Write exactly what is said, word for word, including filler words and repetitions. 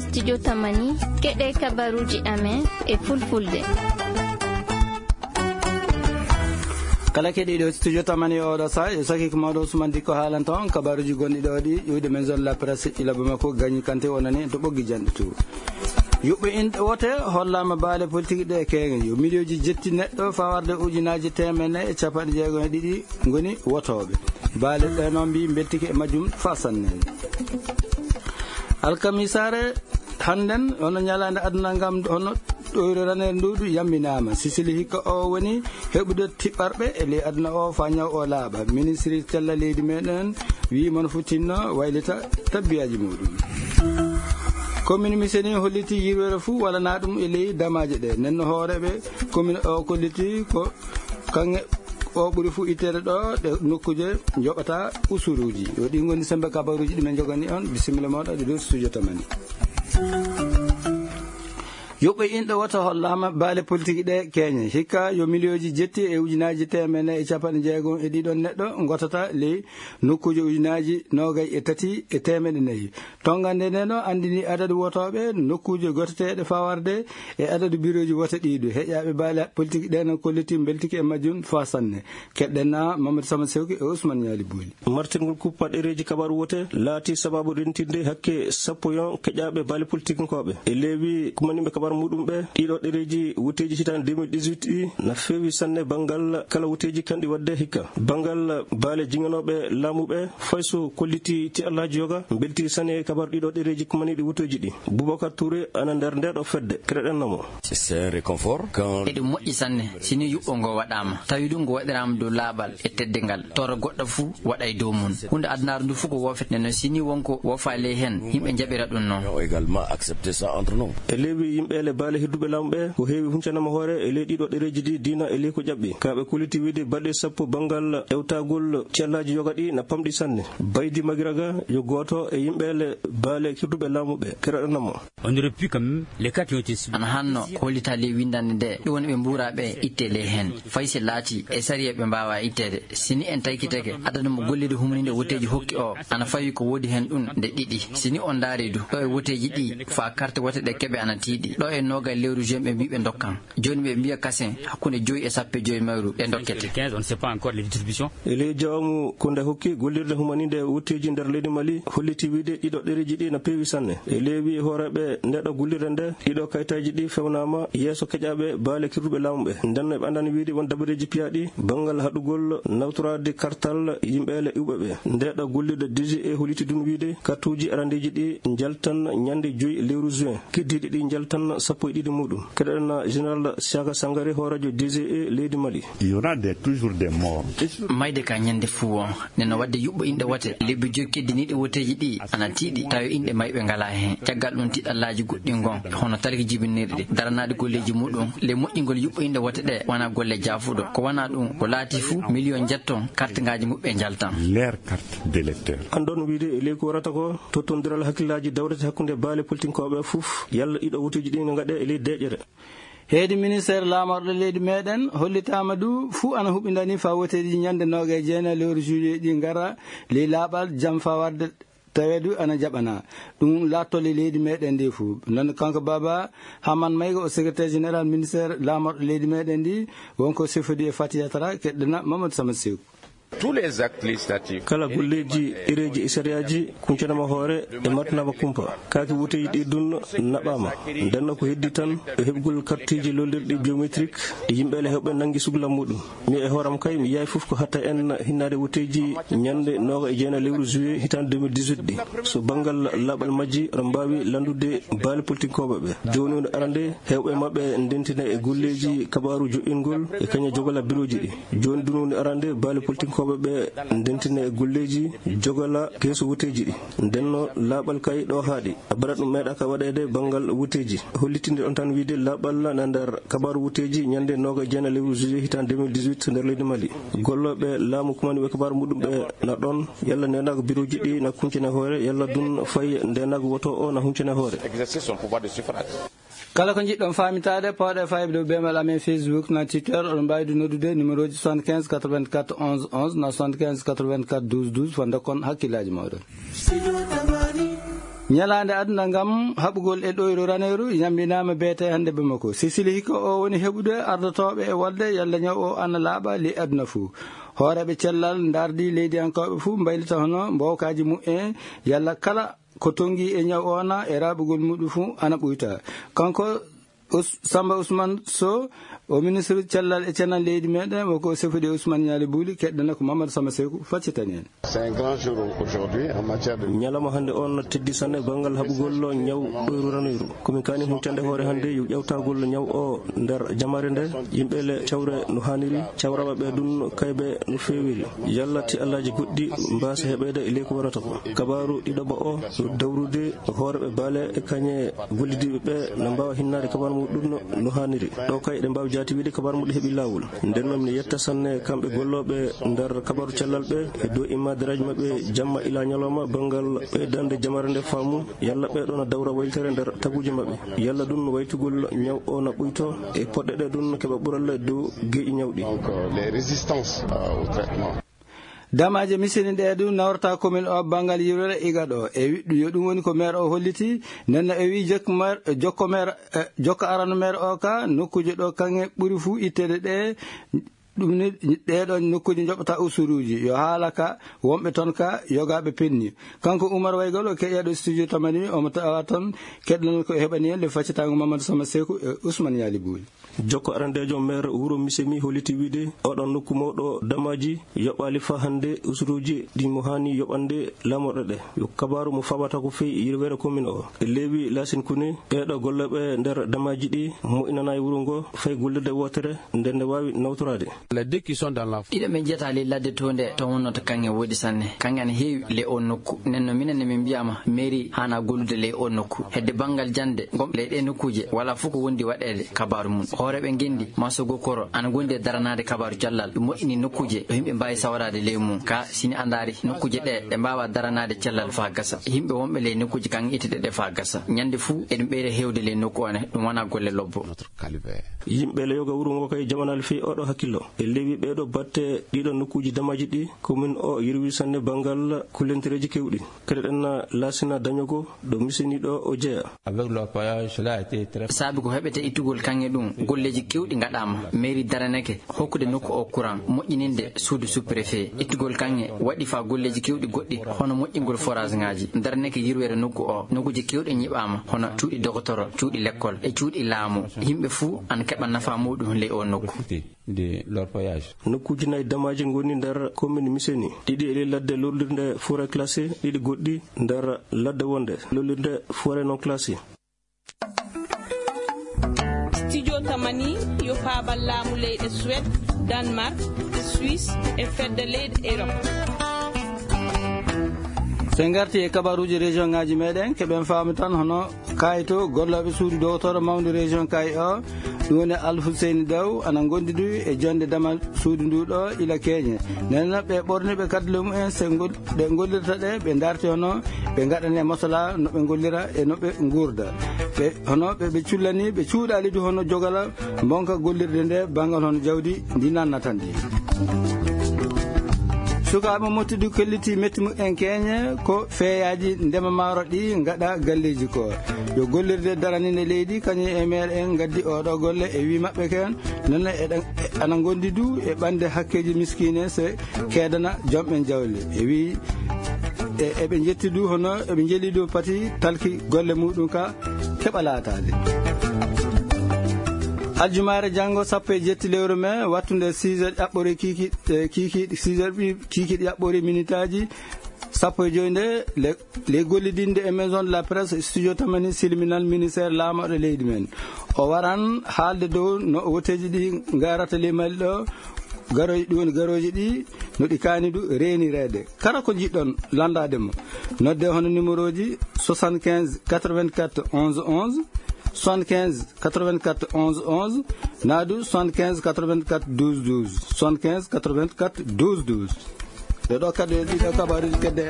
Studio Tamani, keɗe kabaruji amen e fulfulde. Kala keɗiɗo Studio Tamani oɗo sa, yo saki ko mawɗo Ousmane Dikko haalanta on kabaruji gonɗi ɗo ɗi, iwde men zone la presse ila Bamako, Gagny Kanté wonani en to ɓoggi janɗe to. Yuɓɓe inɗe wote hollama baale politique ɗe keeŋe. Yo miliyooji jetti neɗɗo fawarde ujunaaji teemedde e capanɗe jeegom e ɗiɗi ngoni wotooɓe. Baale ɗe noon mbi beltike e majjum fa sanne. Alkamisaare hannden, hono ñalaande aduna ngam, hono ɗoyre raneer nduudu yamminaama. Sisili hikka o woni heɓude tiɓɓarɓe e ley aduna o fa ñaw o laaɓa. Ministri cella leydi meɗen wi mono fu tinno waylita tabbiyaaji muɗum. Commune Miseni holliti yirwere fu walana ɗum e ley damaaje ɗe. Nenno hooreɓe commune o kolliti ko kaŋŋe o ɓuri fu itteede ɗo ɗe nokkuuje njoɓata usuruuji. Yo ɗi ngoni sembe kabaruuji ɗi men njogani on. Bisimilla moɗo ɗe dow studio Tamani. Yuɓɓe inɗo wota hollama baale politique ɗe keeñe. Hikka yo miliyooji jetti e ujunaaji teemedde e capanɗe jeegom e ɗiɗon neɗɗo ngotata ley nokkuuje ujunaaji noogay e tati e teemedde nayi. Tongande nde no andini adadu wotooɓe nokkuuje goteteeɗe fawarde e adadu birooji wote ɗiɗo. Heƴaaɓe baale politique ɗe no kolliti beltike e majjum fa sanne. Keɗɗen na Mamadou Sama Sewki e Ousmane Ñaali Booli. Martirgol kuppa ɗereeji kabaru wote laati sababu rentinde hakke sappo yon keƴaaɓe baale politikinkooɓe. E leewi kumaniɓe kabaru muɗum ɓe, ɗiɗo ɗereeji woteeji hitaande deux mille dix-huit ɗi na feewi sanne banngal kala woteeji kanɗi waɗde hikka. Banngal baale jiŋanooɓe laamu ɓe, fay so kolliti ti Allaaji yoga, mbeltiri sanne e kabaru ɗiɗo ɗereeji kumaniɗi woteeji ɗi. Boubacar Touré ana nder ndeɗo fedde, keɗoɗen namo. C'est un réconfort quand eɗum moƴƴi sanne, si ni yuɓɓo ngo waɗaama, tawi ɗum ngo waɗiraama dow laaɓal e teddingal, toro goɗɗo fuu waɗa e dow mum. Huunde adunaaru ndu fuu ko woofete, nden noon si ni won ko woofa ley heen, yimɓe njaɓira ɗum noon. Ont également accepté ça entre nous. E leewi yimɓe le baale hedduɓe laamu ɓe, ko heewi huncanama hoore e ley ɗiɗo ɗereeji ɗi diina e ley ko ƴaɓɓi. Ka ɓe kolliti wiide baɗe sappo banngal ewtagol cellaaji yoga ɗi na pamɗi sanne. Baydi Magiraga yo gooto e yimɓe le baale hedduɓe laamu ɓe, keɗoɗen namo. On aurait pu quand même, les cas qui ont été signalés. Ana hanno ko hollita ley winndannde nde, ɗum woni ɓe mbuuraa ɓe itte ley heen. Fay si laati e sariya ɓe mbaawaa itteede. Si ni en taykitake, adadu mo gollirde humaniinde woteeji hokki o, ana fawi ko woodi heen ɗum nde ɗiɗi. Si ni on ndaari du, ɗo e woteeji ɗi, faa karte wote ɗe keɓe ana tiiɗi. Ɗo e noogay lewru juin ɓe mbii ɓe ndokkan. Jooni ɓe mbiya kasen hakkunde joyi e sappo e joyi mayru ɓe ndokkete. Quinze, on ne sait pas encore les distributions. E ley jawmu ko nde hokki gollirde humaniinde wotteeji nder leydi Mali holliti wiide ɗiɗo ɗereeji ɗi na peewi sanne. E leewi hooreeɓe ndeɗo gollirde nde, ɗiɗo kayitaaji ɗi fewnaama yeeso keƴaaɓe baale kirduɓe laamu ɓe. Nden no ɓe anndani wiide won dabareeji piyaaɗi banngal haɗugol nawtoraade kartal yimɓe le iwɓe ɓe. Ndeɗo gollirde D G E holliti ɗum wiide kartuuji arandeeji ɗi njaltan ñande joyi lewru juin. Keddiiɗi ɗi njaltan sappo e ɗiɗi muɗum. Keɗoɗen Général Siaka Sangare, hooreejo D G E leydi Mali. Il y aura des, toujours des morts. Mayde ka ñande fuu o, nden no waɗde yuɓɓo inɗe wote, lebbi joyi keddiniiɗi woteeji ɗi ana tiiɗi, tawi inɗe mayɓe ngalaa heen. Caggal ɗum tiɗallaaji goɗɗi ngon, hono talki jibinirɗi, daranaade golleeji muɗum, le moƴƴingol yuɓɓo inɗe wote ɗe, wona golle jaafuɗo. Ko wona ɗum, ko laati fuu, miliyon njetton, kartingaaji muɓɓe njaltan. Leur carte d'électeur. Anndon wiide e ley ko warata ko, tottondiral hakkillaaji dawrete hakkunde baale politinkooɓe fof, yalla ɗiɗo woteeji ɗi no ngaɗe e ley deeƴere. Heedi ministeer laamorɗo leydi meɗen hollitaama du fuu ana huɓindani faa woteeji ñande noogaye jeenayi lewru juillet ɗi ngara ley laaɓal jam faa warde taweedu ana jaɓana. Ɗum laattole leydi meɗen ndi fuu. Non kanko Baba Haman Mayga o secrétaire général ministeer laamorɗo leydi meɗen ndi, wonko sefodi e Fatiya Tara, keɗɗena Mamadou Samad Sew. Tous les actes législatifs. Kala golleeji, ɗereeji e sariyaaji kuncanama hoore e martinama kumpa. Kaaki woteeji ɗi dun naɓaama. Ndenno ko heddi tan e heɓgol kartiiji lollirɗi biométrique ɗi yimɓe le heɓɓe nangi sugla muɗum. Mi e hooram kay mi yaay fof ko hatta en hinnaade woteeji ñande nooga e jeena lewru juillet hitaande deux mille dix-huit ɗi. So banngal laaɓal majji, aɗa mbaawi lanndude baale politinkooɓe ɓe. Jooni woni arande heewɓe maɓɓe ndentina e golleeji kabaaru joƴƴingol e kañum jogola birooji ɗi. Jooni dun woni arande baale politinkooɓe ɓe ndentina e golleeji jogola keesu woteeji ɗi. Ndenno laaɓal kay ɗo haaɗi. Abarat ɗum meeɗaaka waɗeede banngal woteeji. Hollitinde on tan wiide laaɓal na nder kabaaru woteeji ñande nooga e jeena lewru juillet hitaande deux mille dix-huit nder leydi Mali. Gollooɓe laamu kumani ɓe kabaaru muɗum ɓe na ɗon. Yalla ndenaago birooji ɗi na kuncine hoore, yalla dun fay ndenaago woto o na huncine hoore. Exercer son pouvoir de suffrage. Kala ko njiɗɗon faamitaade, pawɗe fayde dow beemal amen Facebook, na Twitter, oɗon mbaawi du noddude numéro ji soixante-quinze quatre-vingt-quatre onze onze, na soixante-quinze quatre-vingt-quatre douze douze, faa ndokkon hakkillaaji mooɗon. Ñalaande aduna ngam haɓugol e ɗoyru raneeru yambinaama beete hannde Bamako. Sisili Hiko o woni heɓude ardotooɓe e walde yalla ñaw o ana laaɓa ley aduna fuu. Hooreeɓe cellal ndaardi leydiyankooɓe fuu mbaylita hono mboowkaaji mu'en yalla kala ko tonngi e ñaw o na e raaɓugol muɗum fuu ana ɓuyta. Kanko Us-, Samba Ousmane Sow, o ministre cellal e ceenal leydi meɗen, o ko sefude Ousmane Ñaali Buuli, keɗɗana ko Mamadou Sama Seku, faccitani en. C'est un grand jour aujourd'hui en matière de Ñalawma hannde on teddi sanne banngal haɓugol ñaw ɗoyru ranoyru. Komin kaani huccande hoore hannde yo ƴawtagol ñaw o nder jamaare nde, yimɓe le cawre no haaniri, cawraɓe ɓe ɗum kayɓe no feewiri. Yalla ti Allaaji goɗɗi mbaasa heɓeede e ley ko warata ko. Kabaaru ɗiɗaɓo o no dawrude hooreeɓe baale e kañe gollidiiɓe ɓe no mbaawa hinnaade kabaaru muɗum no, no haaniri. Ɗo kay eɗen mbaawi jaati wiide kabaaru muɗum heɓi laawol. Nden noon mi yetta sanne kamɓe gollooɓe nder kabaaru cellal ɓe e dow immaadiraji maɓɓe jamma ila ñalawma banngal ɓeydande jamaare nde faamu yalla ɓe ɗo na dawra waylitere nder taguuji maɓɓe. Yalla ɗum no waytugol ñaw o na ɓuyto e poɗɗe ɗe ɗum keɓa ɓural e dow geeƴi ñawɗi. Donc, euh, les résistances, euh, au traitement. Damaaje misini ɗe ɗum nawrata commune o banngal yirwere Iga ɗo. E wi-, yo ɗum woni ko maire o holliti. Nden no e wi jokko maire, jokko maire, eh, jokko arano maire o ka nokkuuje ɗo kaŋŋe ɓuri fuu itteede ɗe. Ɗum ni ɗee ɗoon nokkuuje njoɓata usuruuji. Yo haala ka wonɓe toon ka yogaaɓe penni. Kanko Umar Waygal o keƴeeɗo studio tamani omo tawa toon keɗɗanol ko heɓani en le faccitaango Mamadou Sama Seku e Ousmane Ñaali Buuli. Jokko arandeejo maire wuro Misemi holliti wiide oɗon nokku mawɗo damaaji yoɓaali faa hannde usuruuji ɗi mo haani yoɓande laamorɗe ɗe. Yo kabaaru mo faabata ko fii yirwere commune o. E leewi laasin kuni, ɓeeɗo gollooɓe nder damaaji ɗi moƴƴinanaa e wuro ngo fay gollirde wootere nde nde waawi nawtoraade. Les deux qui sont dans la Ɗiɗo ɓe njiyata ley ladde to nde to wonnoo to kaŋŋe woodi sanne. Kaŋŋe ana heewi le o nokku. Nden no minen ne min mbiyaama mairie haana gollude ley o nokku. Hedde banngal jannde ngon ley ɗee nokkuuje, walaa fof ko wondi waɗeede kabaaru mum. Hooreeɓe ngenndi, Masogo Koro, ana gondi e daranaade kabaaru cellal. Ɗum moƴƴini nokkuuje ɗo yimɓe mbaawi sawraade ley mum. Ka sini andaari nokkuuje ɗe, ɗe mbaawa daranaade cellal faa gasa. Yimɓe wonɓe ley nokkuuje kan ittude ɗe faa gasa. Ñande fuu eɗum ɓeyda heewde ley nokku one, ɗum wonaa golle lobbo. Yimɓe le yoga wuro ngo kay jamanal fii oɗo hakkillo. E leewi ɓeeɗo batte ɗiɗo nokkuuji damaaji ɗi, commune o yirwi sanne banngal kullentereeji kewɗi. Kadi ɗen na laasina dañogo ɗo misini ɗo o jeya. Avec l'orpaillage, cela a été très Saabi ko heɓete ittugol kaŋŋe ɗum, golleeji kewɗi ngaɗaama. Mairie daraneke hokkude nokku o courant, moƴƴininde suudu sous-préfet. Ittugol kaŋŋe waɗi faa golleeji kewɗi goɗɗi, hono moƴƴingol forage ŋaaji. Daraneke yirwere nokku o, nokkuuji kewɗi ñiɓaama, hono cuuɗi dogotoro, cuuɗi lekkol, e cuuɗi laamu. Yimɓe fuu ana keɓa nafaa muɗum ley o nokku. De l'orpaillage. Nokkuuji nayi damaaji ngoni nder commune Miseni, ɗiɗi e ley ladde lollirde forêt classée, ɗiɗi goɗɗi nder ladde wonde lollirde forêt non classée. Studio Tamani yo paabal laamu leyɗe Suède, Danemark, Suisse e fedde leyɗe Europe. So en ngarti e kabaruuji région ŋaaji meɗen, keɓen faamu tan hono Kayto, gollooɓe suudu dowtoro mawndu région Kay o, ɗum woni Al Hussein Daw, ana ngondi du e jonde damal suudu ndu ɗo ila keñe. Nden noon ɓe ɓorniiɓe kaddule mumen, so ngol-, ɗe ngollirta ɗe, ɓe darti hono ɓe ngaɗane masala no ɓe ngollira e no ɓe nguurda. Ɓe, hono ɓe, ɓe cullani, ɓe cuuɗaali du hono jogala mbonka gollirde nde banngal hono jawdi ndi nannata ndi. Sukaaɓe mottidu kelliti metti mumen keñe ko feeyaaji ndema maaro ɗi ngaɗa galleeji ko. Yo gollirde daraninde leydi, kañum e meere en ngaddi oɗo golle e wi maɓɓe ken, noon eɗen, e, ana ngondi du e ɓande hakkeeji miskiine se keedana jomɓen jawle. E wi, e, eɓe njetti du hono eɓe njeli du pati talki golle muɗum ka keɓa laataade. Aljumaare janngo sappo e jetti lewru mai, wattunde six heures ƴaɓɓore kiiki-, e, kiiki-, six heures ɓi-, kiikiiɗe ƴaɓɓore minitaaji sappo e joy nde le-, ley gollidinde e Maison de la Presse, Studio Tamani silminal ministère laamorɗo leydi men. O waran haalde dow no woteeji ɗi ngarata ley Mali ɗo, garooji ɗi woni garooji ɗi, no ɗi kaani du reenireede. Kala ko njiɗɗon lanndaade mo, nodde hono numéro ji soixante-quinze quatre-vingt-quatre onze onze, soixante-quinze quatre-vingt-quatre onze onze, naadu soixante-quinze quatre-vingt-quatre douze douze, soixante-quinze quatre-vingt-quatre douze douze. Ɗe ɗo kadi e ɗiɗo kabaruuji kedde.